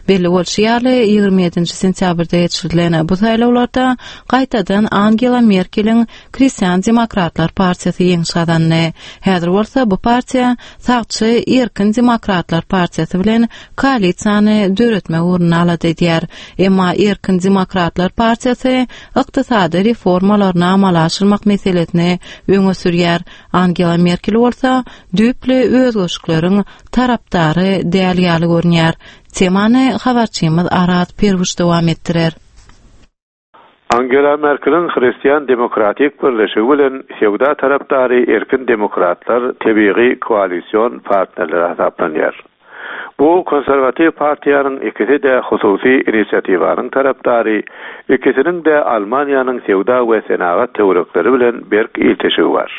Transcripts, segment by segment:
Belli bolşy ýaly, 27-nji sentýabrda geçirilen bu saýlawlarda gaýtadan Angela Merkeliň Hristian demokratlar partiýasy ýeňiş gazandy. Häzir bolsa bu partiýa sagçy Erkin demokratlar partiýasy bilen koalisiýany döretmek ugrunda alada edýär. Emma Erkin demokratlar partiýasy ykdysady reformalaryny amala aşyrmak meselesini öňe sürýär. Angela Merkel bolsa düýpli özgerişikleriň tarapdary däl ýaly görünýär. Temany habarçymyz Araz Perwiş dowam etdirer. Angela Merkeliň Hristian demokratik birleşigi bilen söwda tarapdary Erkin demokratlar tebigy koalision partnerler hasaplanýar. Bu konserwatiw partiýanyň ikisi-de hususy inisiatiwanyň tarapdary, ikisiniň-de Almaniýanyň söwda we senagat töwerekleri bilen berk ilteşigi bar.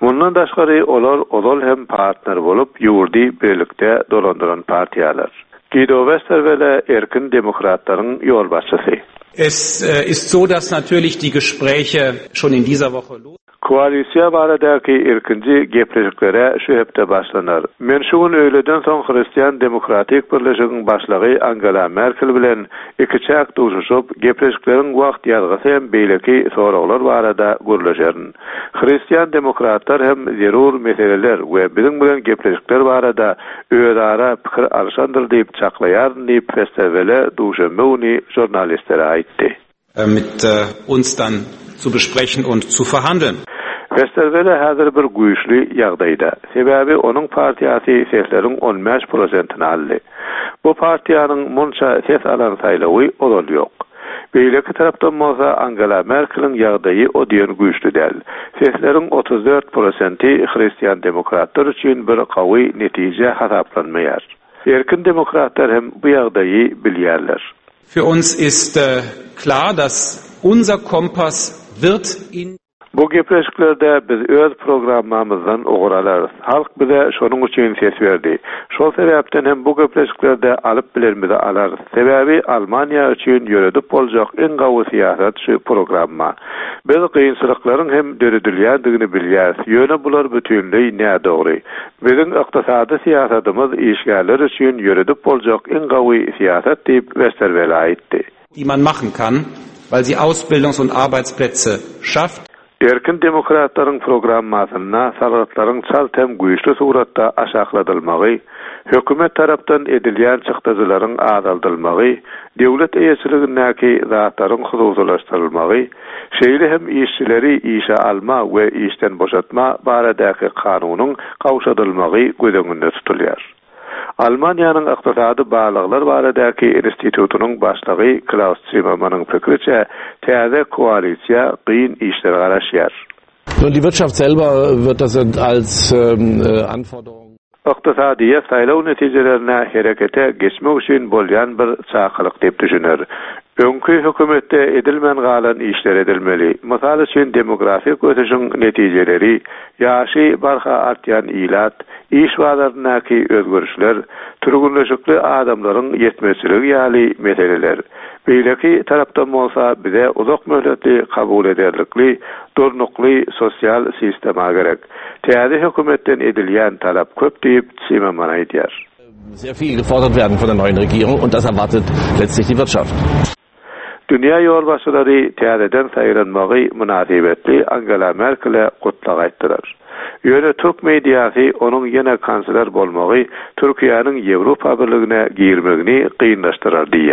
Mundan daşgary, olar ozal hem partner bolup, ýurdy birlikde dolandyran partiýalar. Gido Westerwelle Erkin demokratlaryň ýolbaşçysy. Es ist so, dass natürlich die Gespräche schon in dieser Woche los. Koalisiýa baradaky ilkinji gepleşiklere şu hepde başlanar. Men şu gün öýleden soň Hristian demokratik birleşigiň başlygy Angela Merkel bilen ikiçäk duşuşyp, gepleşikleriň wagt ýazgysy hem beýleki soraglar barada gürleşerin. Hristian demokratlar hem zerur meseleler we biziň bilen gepleşikler barada özara pikir alşandyr diýip çaklaýaryn diýip, Westerwelle duşenbe güni žurnalistlere aýtdy. Mit uns dann zu besprechen und zu verhandeln. Westerwelle häzir bir güýçli ýagdaýda. Sebäbi onuň partiýasy sesleriň 15 prosentini aldy. Bu partiýanyň munça ses alan saýlawy ozal ýok. Beýleki tarapdan bolsa Angela Merkeliň ýagdaýy o diýen güýçli däl. Sesleriň 34 prosenti hristian demokratlar üçin bir gawy netije hasaplanmaýar. Erkin demokratlar hem bu ýagdaýy bilýärler. Für uns ist klar, dass unser Kompass wird in. Bu gepleşiklerde biz öz programmamyzdan ugur alarys. Halk bize şonuň üçin ses berdi. Şol sebäpden hem bu gepleşiklerde alyp bilenimizi alarys. Sebäbi Almaniýa üçin ýöredip boljak iň gawy syýasat şu programma. Biz kynçylyklaryň hem döredilýändigini bilýäris, ýöne bular bütinleý nädogry. Biziň ykdysady syýasatymyz işgärler üçin ýöredip boljak iň gawy syýasat diýip, Westerwelle aýtdy. Die man machen kann, weil sie Ausbildungs und Arbeitsplätze schafft. Erkin demokratlaryň programmasynda salgytlaryň çalt hem güýçli suratda aşakladylmagy, hökümet tarapdan edilýän çykdajylaryň azaldylmagy, döwlet eýeçiligindäki zatlaryň hususylaşdyrylmagy, şeýle hem işçileri işe alma we işden boşatma baradaky kanunyň gowşadylmagy göz öňünde tutulýar. Almaniýanyň Ykdysady barlaglar baradaky institutynyň başlygy Klaus Zimmermanyň pikiriçe, täze koalisiýa gyn işler garaşýar. Nun, die Wirtschaft selber wird das als Anforderung. Ykdysadyýet saýlaw netijelerine herekete geçmek üçin bolýan bir çakylyk diýip düşüner. Öňki hökümetde edilmän galan işler edilmeli. Mysal üçin, demografik ösüşiň netijeleri, ýaşy barha artýan ilat, iş bazaryndaky özgerişler, türgünleşikli adamlaryň ýetmezçiligi ýaly meseleler. Beýleki tarapdan bolsa bize uzak möhletli kabul ederlikli, durnukly sosial sistema gerek. Täze hökümetden edilýän talap köp diýip, Zimmermann aýdýar. Sehr viel gefordert werden von der neuen Regierung und das erwartet letztlich die Wirtschaft. Dünýä ýolbaşçylary täzeden saýlanmagy mynasybetli Angela Merkele gutlag aýtdylar. Ýöne türk mediasy onuň ýene kansler bolmagy Türkiýäniň Ýewropa Birligine girmegini kynlaşdyrar diýýär.